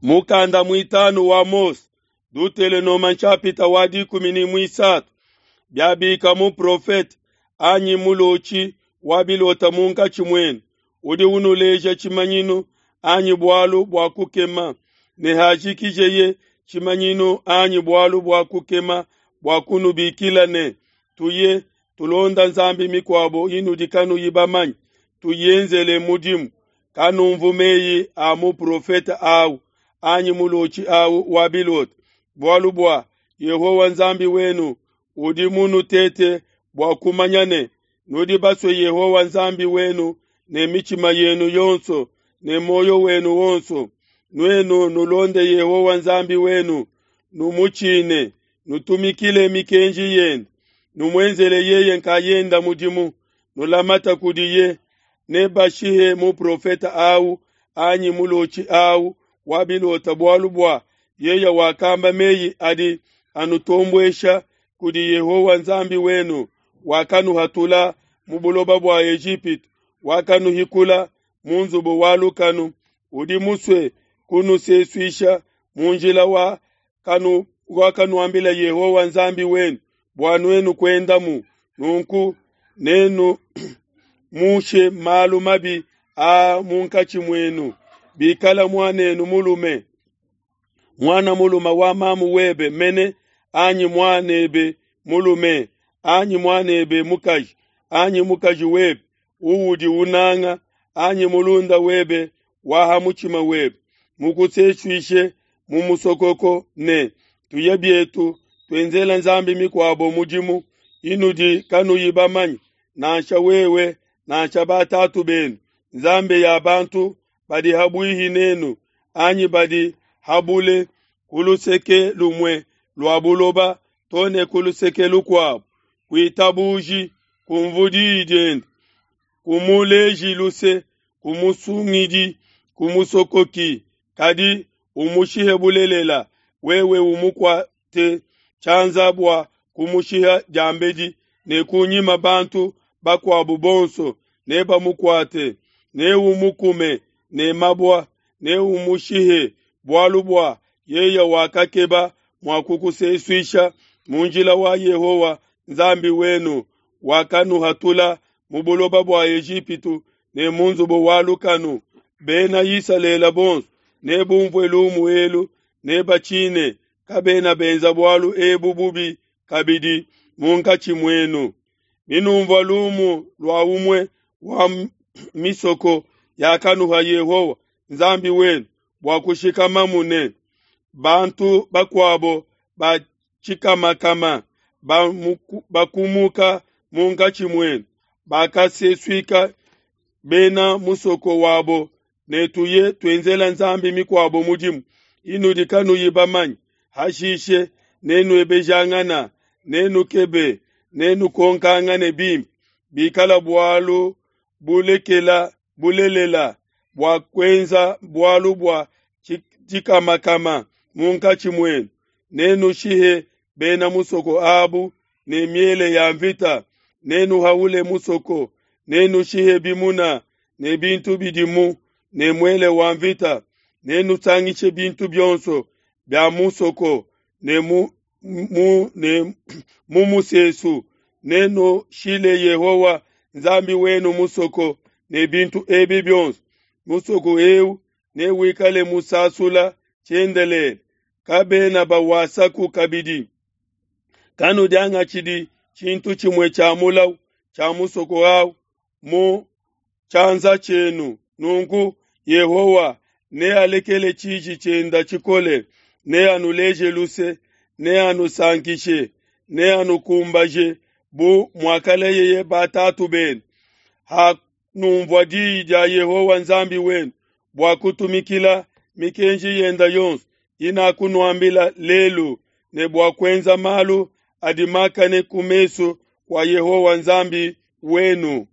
Mukanda muitanu wa Mose, Dutelenoma nshapita wa dikumi ne muisatu, biabika muprofete anyi mulotshi wa bilota munkatshi muenu, udi unuleja tshimanyinu anyi bualu bua kukema, ne hajikijeye tshimanyinu anyi bualu bua kukema bua kunubikila ne, Tuye, tulonda nzambi mikuabo inudi kanuyi bamanye, tuyenzele mudimu. Kanumvu meyi a muprofete au anyi mulotshi au wa bilota, bualu bua Yehowa Nzambi wenu udi munutete bua kumanya ne, nudi basue Yehowa Nzambi wenu ne mitshima yenu yonso ne muoyo wenu wonso. Nuenu nulonde Yehowa Nzambi wenu, numutshine, nutumikile mikenji yende, numuenzele yeye nkayenda mudimu, nulamata kudiye. Nebashihe muprofete au anyi mulotshi au wa bilota, bualu bua yeye wakamba meyi adi anutombuesha kudi Yehowa Nzambi wenu, wakanuhatula mu buloba bua Ejipitu, wakanuhikula mu nzubu wa lukanu, udi musue kunusesuisha mu njila wa kanu wakanuambila Yehowa Nzambi wenu bua nuenu kuendamu. Nunku nenu mushe malu mabi a munkatshi muenu. Bikala muanenu mulume, muana mulume wa mamu webe mene, anyi muanebe mulume, anyi muanebe mukaji, anyi mukaji webe uudi unanga, anyi mulunda webe wa ha mutshima webe, mukusesuishe mu musokoko ne, Tuye bietu, tuenzele nzambi mikuabo mudimu inudi kanuyi bamanye, nansha wewe nansha batatu benu, nzambi ya bantu badi habuihi nenu anyi badi habule ku luseke lumue lua buloba to ne ku luseke lukuabo. Kuitabuji, kumvu diyi diende, kumuleji luse, kumusungidi, kumusokoki, kadi umushihe bulelela, wewe umukuate tshianza bua kumushiha diambedi, ne kunyima bantu bakuabo bonso nebamukuate, neumukume ne mabua, neumushihe, bualu bua yeye wakakeba mua kukusesuisha mu njila wa Yehowa Nzambi wenu, wakanuhatula mu buloba bua Ejipitu ne mu nzubu wa lukanu. Bena Isalele bonso nebumvue lumu elu, nebatshine, kabena benza bualu ebu bubi kabidi munkatshi muenu. Binumvua lumu lua umue wa misoko yakanuha Yehowa Nzambi wenu bua kushikamamu ne bantu bakuabo ba tshikamakama bakumuka munkatshi muenu, bakasesuika bena musoko wabo ne tuye tuenzela nzambi mikuabo mudimu inudi kanuyi bamanye. Hashishe nenuebejangana, nenukebe, nenukonkangane bimpe, bikala bualu bulekela bulelela bua kuenza bualu bua tshikamakama munkatshi muenu, nenushihe bena musoko abu ne miele ya mvita, nenuhaule musoko, nenushihe bimuna ne bintu bidimu ne muele wa mvita, nenusangishe bintu bionso bia musoko ne mu, mu, ne mu musesu, nenushile Yehowa Nzambi wenu musoko ne bintu ebi bionso. Musoko eu newikale musasula tshiendelele, kabena bawasaku kabidi. Kanudiangatshidi tshintu tshimue tshia mulawu tshia musoko au mu tshianza tshienu. Nunku Yehowa nealekele tshiji tshienda tshikole, neanuleje luse, neanusankishe, neanukumbaje bu muakalayeye batatu benu. Hanumvua diyi dia Yehowa Nzambi wenu bua kutumikila mikenji yenda yonso inakunuambila lelu, ne bua kuenza malu adi makane ku mesu kua Yehowa Nzambi wenu.